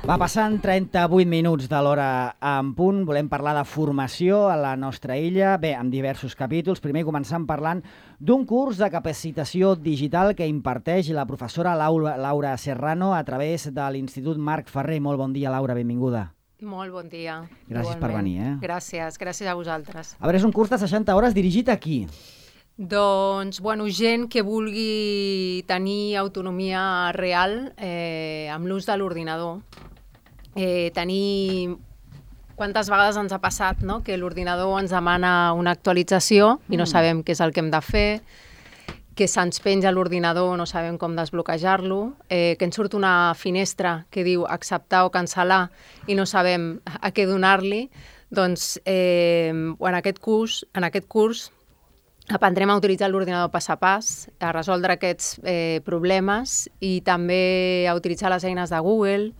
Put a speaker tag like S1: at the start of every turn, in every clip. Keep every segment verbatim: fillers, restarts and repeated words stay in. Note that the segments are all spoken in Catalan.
S1: Va passant trenta-vuit minuts de l'hora en punt. Volem parlar de formació a la nostra illa, bé, amb diversos capítols. Primer començant parlant d'un curs de capacitació digital que imparteix la professora Laura, Laura Serrano a través de l'Institut Marc Ferrer. Molt bon dia, Laura, benvinguda.
S2: Molt bon dia.
S1: Gràcies per venir. Eh?
S2: Gràcies, gràcies a vosaltres.
S1: A veure, és un curs de seixanta hores dirigit a qui?
S2: Doncs, bueno, gent que vulgui tenir autonomia real eh, amb l'ús de l'ordinador. Eh, tenir... Quantes vegades ens ha passat, no?, que l'ordinador ens demana una actualització i no sabem què és el que hem de fer, que se'ns penja l'ordinador, no sabem com desbloquejar-lo, eh, que ens surt una finestra que diu acceptar o cancel·lar i no sabem a què donar-li. Doncs eh, en aquest curs, en aquest curs aprendrem a utilitzar l'ordinador pas a pas, a resoldre aquests eh, problemes i també a utilitzar les eines de Google,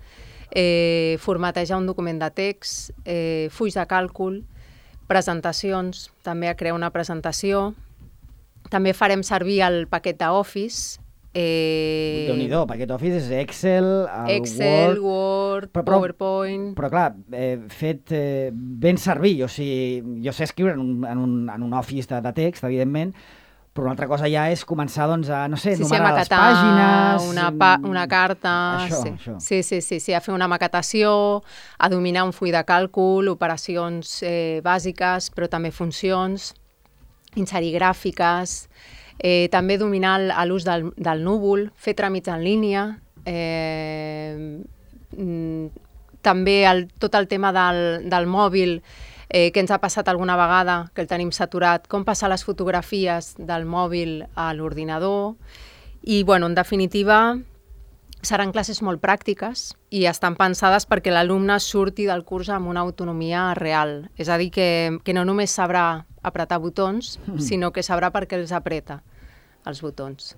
S2: eh, formatejar un document de text, eh, fulls de càlcul, presentacions, també a crear una presentació. També farem servir el paquet d'Office. Eh,
S1: Déu-n'hi-do, paquet Office és Excel, el
S2: Excel,
S1: Word,
S2: Word,
S1: però, però,
S2: PowerPoint...
S1: Però clar, eh, fet eh, ben servir, o sigui, jo sé escriure en un, en un, en un Office de, de text, evidentment, però una altra cosa ja és començar doncs, a, no sé,
S2: sí,
S1: numerar
S2: sí,
S1: les pàgines...
S2: Una, pa una carta...
S1: Això,
S2: sí.
S1: això.
S2: Sí, sí, sí, sí, a fer una maquetació, a dominar un full de càlcul, operacions eh, bàsiques, però també funcions, inserir gràfiques, eh, també dominar l'ús del, del núvol, fer tràmits en línia, eh, també el, tot el tema del, del mòbil, Eh, que ens ha passat alguna vegada, que el tenim saturat, com passar les fotografies del mòbil a l'ordinador. I, bueno, en definitiva, seran classes molt pràctiques i estan pensades perquè l'alumne surti del curs amb una autonomia real. És a dir, que, que no només sabrà apretar botons, mm. sinó que sabrà per què els apreta, els botons.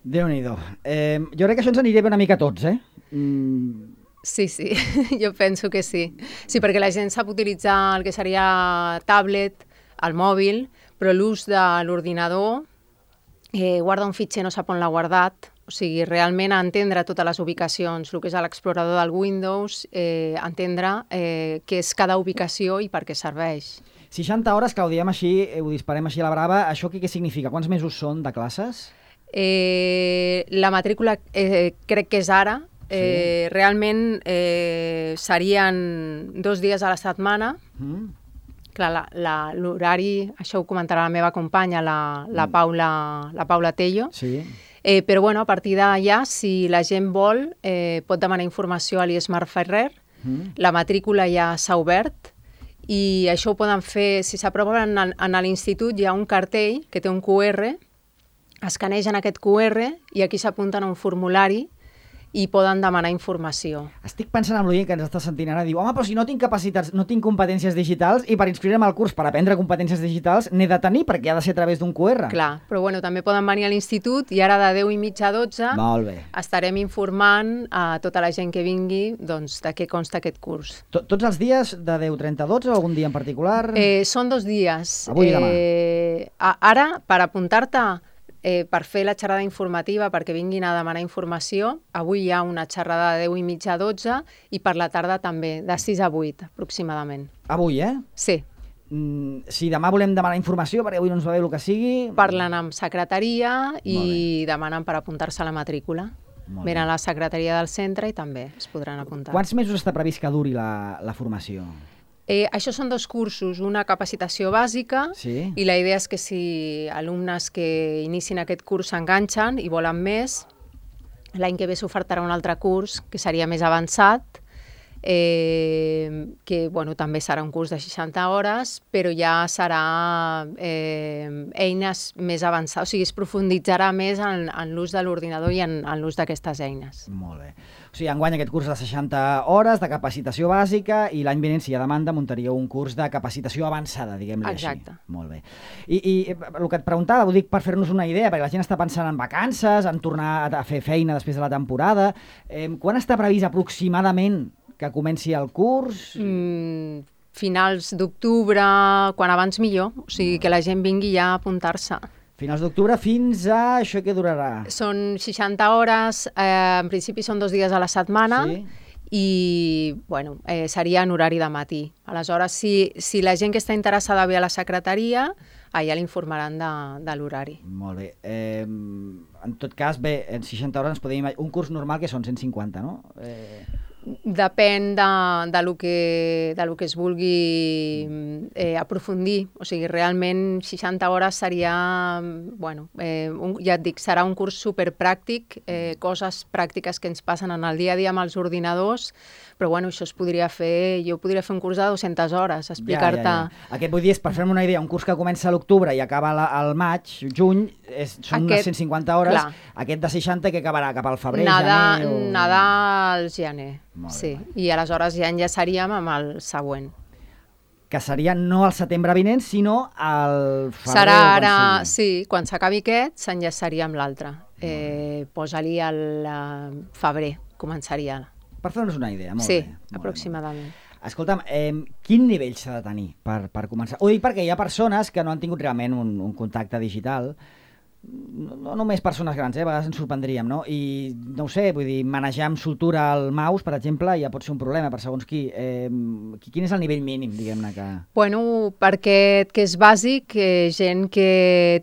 S1: Déu-n'hi-do. Eh, jo crec que això ens aniria bé una mica a tots, eh? Mm.
S2: Sí, sí, jo penso que sí. Sí, perquè la gent sap utilitzar el que seria tablet, el mòbil, però l'ús de l'ordinador, eh, guarda un fitxer, no sap on l'ha guardat, o sigui, realment entendre totes les ubicacions, el que és l'explorador del Windows, eh, entendre eh, què és cada ubicació i per què serveix.
S1: seixanta hores, que ho diem així, ho disparem així a la brava, això què, què significa? Quants mesos són de classes?
S2: Eh, la matrícula eh, crec que és ara. Eh, sí. Realment eh, serien dos dies a la setmana. Mm. Clar, l'horari, això ho comentarà la meva companya, la, la, mm. Paula, la Paula Tello.
S1: Sí.
S2: Eh, però bueno, a partir d'allà, si la gent vol, eh, pot demanar informació a l'I E S Marc Ferrer. Mm. La matrícula ja s'ha obert i això ho poden fer, si s'aproven en, en l'institut hi ha un cartell que té un cu erre, escanegen aquest cu erre i aquí s'apunten a un formulari i poden demanar informació.
S1: Estic pensant en l'oient que ens està sentint ara, diu, home, però si no tinc capacitats, no tinc competències digitals i per inscriure'm al curs per aprendre competències digitals n'he de tenir perquè ha de ser a través d'un cu erre.
S2: Clar, però bueno, també poden venir a l'institut i ara de deu i mitja a dotze
S1: Molt bé.
S2: Estarem informant a tota la gent que vingui doncs, de què consta aquest curs.
S1: Tots els dies de deu trenta a dotze o algun dia en particular?
S2: Eh, són dos dies.
S1: Avui i demà.
S2: Eh, ara, per apuntar-te Eh, per fer la xerrada informativa, perquè vinguin a demanar informació, avui hi ha una xerrada de deu i mitja a dotze i per la tarda també, de sis a vuit aproximadament.
S1: Avui, eh?
S2: Sí.
S1: Mm, si demà volem demanar informació, perquè avui no ens va bé el que sigui...
S2: Parlen amb secretaria i demanen per apuntar-se a la matrícula. Venen a la secretaria del centre i també es podran apuntar.
S1: Quants mesos està previst que duri la, la formació?
S2: Eh, això són dos cursos, una capacitació bàsica
S1: sí.
S2: i la idea és que si alumnes que inicien aquest curs s'enganxen i volen més, l'any que ve s'ofertarà un altre curs que seria més avançat, eh, que bueno, també serà un curs de seixanta hores, però ja serà eh, eines més avançades, o sigui, es profunditzarà més en, en l'ús de l'ordinador i en, en l'ús d'aquestes eines.
S1: Molt bé. O sigui, enguany aquest curs de seixanta hores de capacitació bàsica i l'any vinent, si hi ha demanda, muntaríeu un curs de capacitació avançada, diguem-li així.
S2: Exacte.
S1: Molt bé. I, I el que et preguntava, ho dic per fer-nos una idea, perquè la gent està pensant en vacances, en tornar a fer feina després de la temporada. Eh, quan està previst aproximadament que comenci el curs?
S2: Mm, finals d'octubre, quan abans millor. O sigui, que la gent vingui ja a apuntar-se.
S1: Finals d'octubre fins a... Això què durarà?
S2: Són seixanta hores, eh, en principi són dos dies a la setmana,
S1: sí.
S2: i bueno, eh, seria en horari de matí. Aleshores, si, si la gent que està interessada ve a la secretaria, allà l'informaran de, de l'horari.
S1: Molt bé. Eh, en tot cas, bé, en seixanta hores ens podem imaginar... Un curs normal que són cent cinquanta, no? Eh...
S2: Depèn de, de, lo que, de lo que es vulgui eh, aprofundir. O sigui, realment seixanta hores seria, bueno, eh, un, ja et dic, serà un curs superpràctic, eh, coses pràctiques que ens passen en el dia a dia amb els ordinadors, però bueno, això es podria fer, jo podria fer un curs de dues-centes hores, explicar-te... Ja, ja, ja.
S1: Aquest vull dir, és, per fer-me una idea, un curs que comença a l'octubre i acaba la, al maig, juny, és, són Aquest, unes cent cinquanta hores, clar. Aquest de seixanta que acabarà cap al febrer,
S2: nada,
S1: gener... O...
S2: Nada al gener. Molt sí, bé. I aleshores ja enllaçaríem amb el següent.
S1: Que seria no al setembre vinent, sinó al febrer.
S2: Serà ara, quan sí, quan s'acabi aquest, s'enllaçaria amb l'altre. Eh, Posa-li al febrer, començaria.
S1: Per fer-nos una idea, molt
S2: sí,
S1: bé.
S2: Sí, aproximadament.
S1: Escolta'm, eh, quin nivell s'ha de tenir per, per començar? Ho dic perquè hi ha persones que no han tingut realment un, un contacte digital, no, no només persones grans, eh? A vegades ens sorprendríem, no? I no ho sé, vull dir, manejar amb soltura el mouse, per exemple, ja pot ser un problema per segons qui. Eh, quin és el nivell mínim, diguem-ne, que...
S2: Bueno, perquè que és bàsic, eh, gent que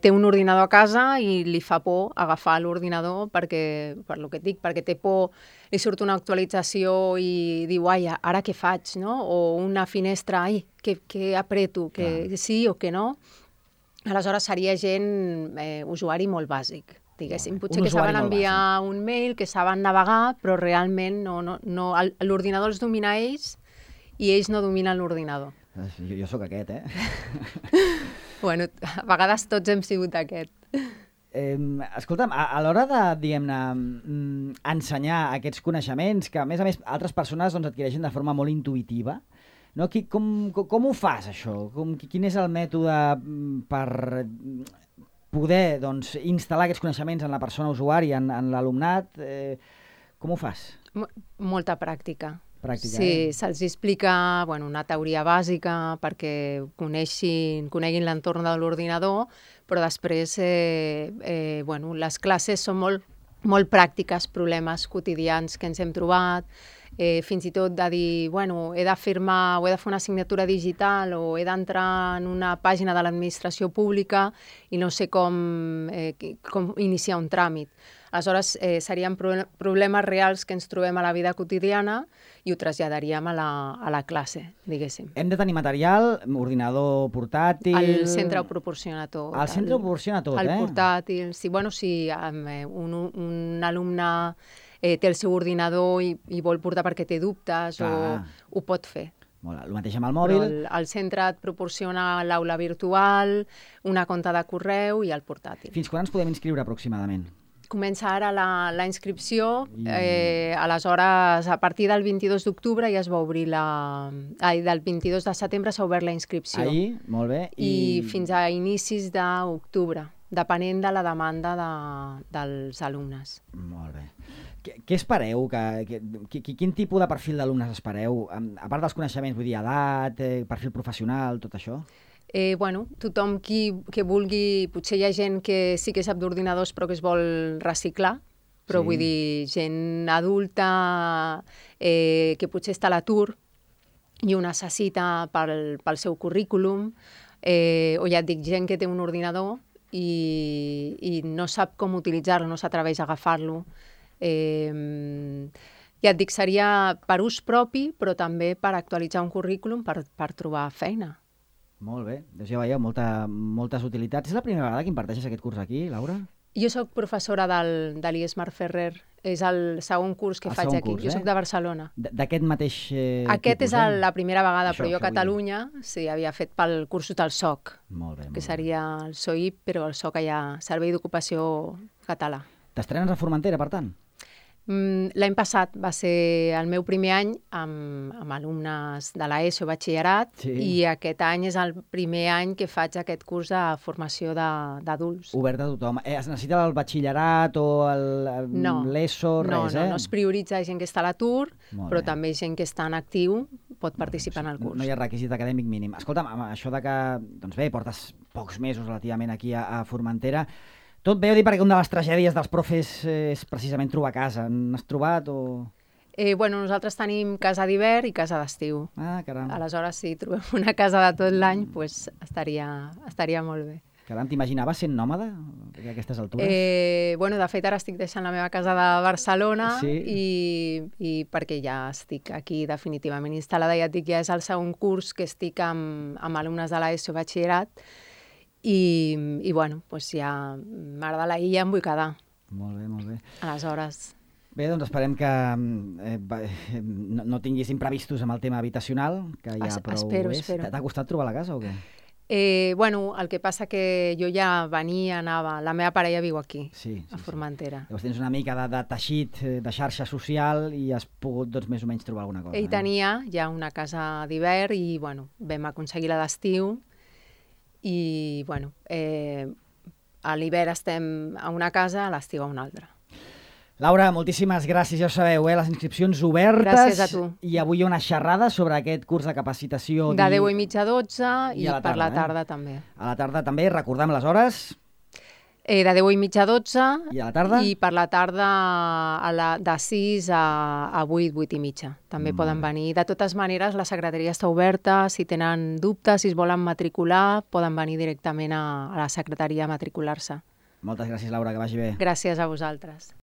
S2: té un ordinador a casa i li fa por agafar l'ordinador perquè, per lo que et dic, perquè té por, li surt una actualització i diu, ai, ara què faig, no? O una finestra, ai, què, què apreto, que Clar. sí o que no? Aleshores seria gent, eh, usuari molt bàsic, diguéssim. Potser que saben enviar un mail, que saben navegar, però realment no, no, no, l'ordinador els domina ells i ells no dominen l'ordinador.
S1: Jo, jo sóc aquest, eh?
S2: Bueno, a vegades tots hem sigut aquest.
S1: Eh, escolta'm, a, a l'hora de, diguem-ne, ensenyar aquests coneixements, que a més a més altres persones doncs, adquireixen de forma molt intuïtiva, no? Qui, com, com, com ho fas, això? Com, quin és el mètode per poder doncs, instal·lar aquests coneixements en la persona usuària, en, en l'alumnat? Eh, com ho fas?
S2: Molta pràctica.
S1: Pràctica,
S2: sí,
S1: eh?
S2: se'ls explica bueno, una teoria bàsica perquè coneixin, coneguin l'entorn de l'ordinador, però després eh, eh, bueno, les classes són molt, molt pràctiques, problemes quotidians que ens hem trobat, eh, fins i tot de dir, bueno, he de firmar o he de fer una signatura digital o he d'entrar en una pàgina de l'administració pública i no sé com, eh, com iniciar un tràmit. Aleshores, eh, serien pro problemes reals que ens trobem a la vida quotidiana i ho traslladaríem a la, a la classe, diguéssim.
S1: Hem de tenir material, ordinador portàtil...
S2: El centre ho proporciona tot.
S1: El centre ho proporciona tot,
S2: el,
S1: eh?
S2: El portàtil, sí, bueno, si un, un alumne eh, té el seu ordinador i, i vol portar perquè té dubtes, Clar. o ho pot fer.
S1: Molt, el mateix amb el mòbil.
S2: Però el, el centre et proporciona l'aula virtual, una compta de correu i el portàtil.
S1: Fins quan ens podem inscriure aproximadament?
S2: Comença ara la, la inscripció, eh, aleshores a partir del vint-i-dos d'octubre ja es va obrir la... Ai, del vint-i-dos de setembre s'ha obert la inscripció.
S1: Ahir, molt bé.
S2: I, I fins a inicis d'octubre, depenent de la demanda de, dels alumnes.
S1: Molt bé. Què, què espereu? Que, que, quin tipus de perfil d'alumnes espereu? A part dels coneixements, vull dir, edat, eh, perfil professional, tot això?
S2: Eh, bueno, tothom qui, que vulgui, potser hi ha gent que sí que sap d'ordinadors però que es vol reciclar, però sí. vull dir, gent adulta eh, que potser està a l'atur i ho necessita pel, pel seu currículum, eh, o ja et dic, gent que té un ordinador i, i no sap com utilitzar-lo, no s'atreveix a agafar-lo. Eh, ja et dic, seria per ús propi, però també per actualitzar un currículum per, per trobar feina.
S1: Molt bé, doncs ja veieu, molta, moltes utilitats. És la primera vegada que imparteixes aquest curs aquí, Laura?
S2: Jo sóc professora del, de l'I E S Mar Ferrer, és el segon curs que el faig aquí. Curs, jo eh? soc de Barcelona.
S1: D'aquest mateix eh,
S2: Aquest
S1: tipus,
S2: és el,
S1: eh?
S2: la primera vegada,
S1: això,
S2: però jo a Catalunya sí, havia fet pel cursos del S O C,
S1: molt bé, molt
S2: que seria el S O I P, però el S O C allà, Servei d'Ocupació Català.
S1: T'estrenes a Formentera, per tant?
S2: L'any passat va ser el meu primer any amb, amb alumnes de l'ESO i batxillerat, sí. i aquest any és el primer any que faig aquest curs de formació d'adults.
S1: Obert a tothom. Eh, es necessita el batxillerat o l'ESO,
S2: no,
S1: res,
S2: no,
S1: eh?
S2: No, no es prioritza gent que està a l'atur, però també gent que està en actiu pot participar en el curs.
S1: No hi ha requisit acadèmic mínim. Escolta'm, això de que, doncs bé, portes pocs mesos relativament aquí a, a Formentera, tot bé, ho dic perquè una de les tragèdies dels profes és precisament trobar casa. N'has trobat o...?
S2: Eh, bueno, nosaltres tenim casa d'hivern i casa d'estiu.
S1: Ah, caram.
S2: Aleshores, si trobem una casa de tot l'any, pues, estaria, estaria molt bé.
S1: Caram, t'imaginaves sent nòmada a aquestes altures?
S2: Eh, bueno, de fet, ara estic deixant la meva casa de Barcelona
S1: Sí.
S2: i, i perquè ja estic aquí definitivament instal·lada. Ja et dic, ja és el segon curs que estic amb, amb alumnes de l'ESO batxillerat i, i bueno, pues ja m'agrada la illa, em vull quedar.
S1: Molt bé, molt bé.
S2: Aleshores...
S1: Bé, doncs esperem que eh, va- eh, no, no tinguis imprevistos amb el tema habitacional, que ja
S2: Es-
S1: prou
S2: espero,
S1: és.
S2: espero.
S1: T'ha costat trobar la casa o què?
S2: Eh, bueno, el que passa que jo ja venia, anava... La meva parella viu aquí,
S1: Sí, sí,
S2: a
S1: sí.
S2: Formentera.
S1: Llavors tens una mica de, de teixit, eh, de xarxa social i has pogut, doncs, més o menys trobar alguna cosa.
S2: Ell
S1: eh?
S2: tenia ja una casa d'hivern i, bueno, vam aconseguir la d'estiu i, bueno, eh, a l'hivern estem a una casa, a l'estiu a una altra.
S1: Laura, moltíssimes gràcies, ja ho sabeu, eh? Les inscripcions obertes.
S2: Gràcies a tu.
S1: I avui hi ha una xerrada sobre aquest curs de capacitació.
S2: De
S1: di-
S2: deu i mitja a dotze i,
S1: I a la
S2: per la
S1: tarda, eh?
S2: tarda també.
S1: A la tarda també, recordem les hores.
S2: Eh, de deu i mitja a dotze
S1: I a la tarda?
S2: i per la tarda a la, de sis a, a vuit, vuit i mitja. També
S1: Molt
S2: poden
S1: bé.
S2: venir. De totes maneres, la secretaria està oberta. Si tenen dubtes, si es volen matricular, poden venir directament a, a la secretaria a matricular-se.
S1: Moltes gràcies, Laura, que vagi bé.
S2: Gràcies a vosaltres.